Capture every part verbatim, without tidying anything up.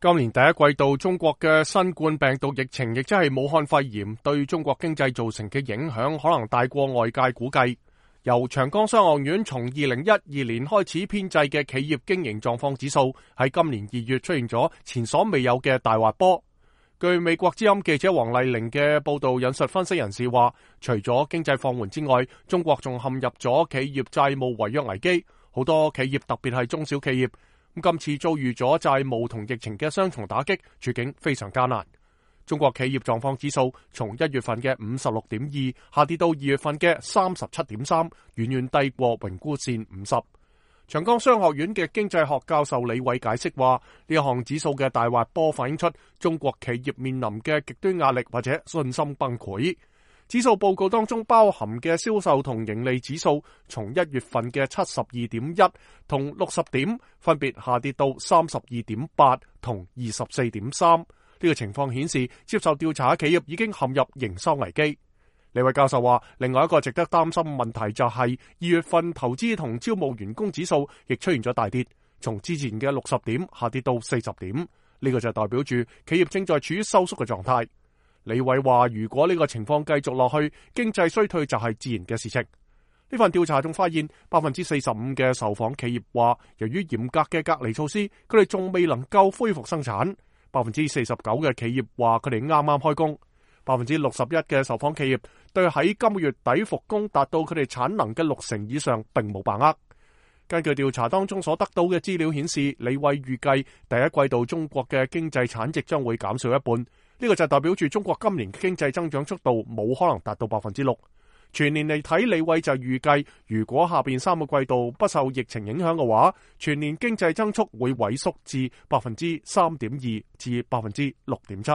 今年第一季度，中國嘅新冠病毒疫情，亦即係武漢肺炎，對中國經濟造成嘅影響，可能大過外界估計。由長江商學院從二零一二年開始編製嘅企業經營狀況指數，喺今年二月出現咗前所未有嘅大滑坡。據美國之音記者黃麗玲嘅報道引述分析人士話，除咗經濟放緩之外，中國仲陷入咗企業債務違約危機，好多企業特別係中小企業，咁今次遭遇咗債務同疫情嘅雙重打擊，處境非常艱難。中國企業狀況指數從一月份嘅五十六點二下跌到二月份嘅三十七點三，遠遠低過榮枯線五十。長江商學院嘅經濟學教授李偉解釋話，呢一項指數嘅大滑坡反映出中國企業面臨嘅極端壓力或者信心崩潰。指數報告當中包含嘅銷售同盈利指數，從一月份嘅七十二點一同六十點，分別下跌到三十二點八同二十四點三。呢個情況顯示，接受調查嘅企業已經陷入營收危機。李偉教授話，另外一個值得擔心問題就係二月份投資同招募員工指數亦出現咗大跌，從之前嘅六十點下跌到四十點。呢個就代表住企業正在處於收縮嘅狀態。李偉話，如果呢個情況繼續落去，經濟衰退就係自然嘅事情。呢份調查仲發現，百分之四十五嘅受訪企業話，由於嚴格嘅隔離措施，佢哋仲未能夠恢復生產。百分之四十九嘅企業話，佢哋啱啱開工。百分之六十一嘅受訪企業對喺今個月底復工達到佢哋產能嘅六成以上並冇把握。根據調查當中所得到嘅資料顯示，李偉預計第一季度中國嘅經濟產值將會減少一半。呢個就代表住中國今年嘅經濟增長速度冇可能達到百分之六。全年嚟睇，李偉就預計如果下邊三個季度不受疫情影響嘅話，全年經濟增速會萎縮至百分之三點二至百分之六點七。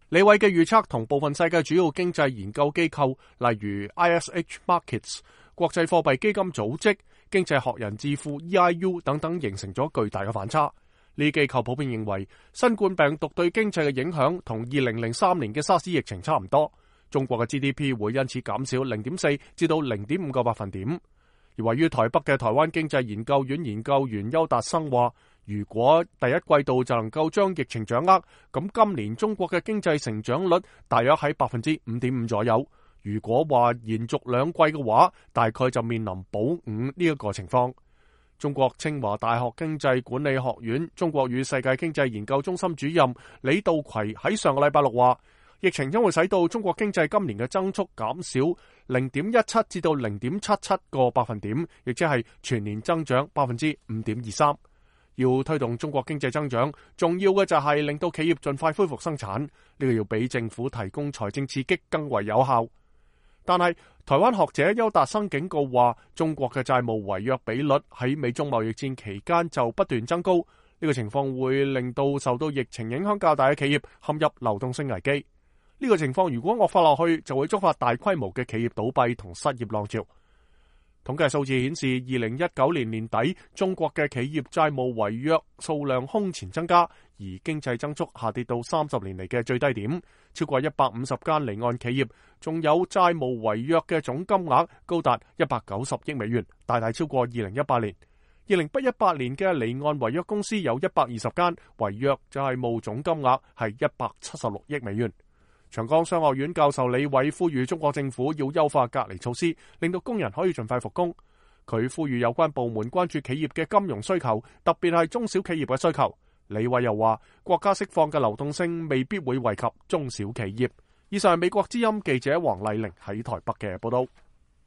李偉嘅預測同部分世界主要經濟研究機構，例如 I S H Markets、國際貨幣基金組織、經濟學人智庫 E I U 等等，形成咗巨大嘅反差。呢啲機構普遍認為，新冠病毒對經濟嘅影響同二零零三年嘅沙士疫情差唔多。中國嘅 G D P 會因此減少零點四至到零點五個百分點。而位於台北嘅台灣經濟研究院研究員邱達生話，如果第一季度就能夠將疫情掌握，咁今年中國嘅經濟成長率大約喺百分之五點五左右。如果話延續兩季嘅話，大概就面臨保五呢一個情況。中國清華大學經濟管理學院中國與世界經濟研究中心主任李道葵喺上個禮拜六話，疫情將會使到中國經濟今年嘅增速減少零點一七至到零點七七個百分點，亦即係全年增長百分之五點二三。要推動中國經濟增長，重要嘅就係令到企業盡快恢復生產，呢個要比政府提供財政刺激更為有效。但係台灣學者邱達生警告話，中國嘅債務違約比率喺美中貿易戰期間就不斷增高，呢個情況會令到受到疫情影響較大嘅企業陷入流動性危機。呢個情況如果惡化落去，就會觸發大規模嘅企業倒閉同失業浪潮。統計數字顯示，二零一九年年底，中國嘅企業債務違約數量空前增加，而經濟增速下跌到三十年嚟嘅最低點。超過一百五十間離岸企業，仲有債務違約嘅總金額高達一百九十億美元，大大超過二零一八年。二零一八年嘅離岸違約公司有一百二十間，違約債務總金額係一百七十六億美元。長江商學院教授李偉呼籲中國政府要優化隔離措施，令到工人可以盡快復工。佢呼籲有關部門關注企業嘅金融需求，特別係中小企業嘅需求。李偉又話，國家釋放嘅流動性未必會惠及中小企業。以上係美國之音記者黃麗玲喺台北嘅報道。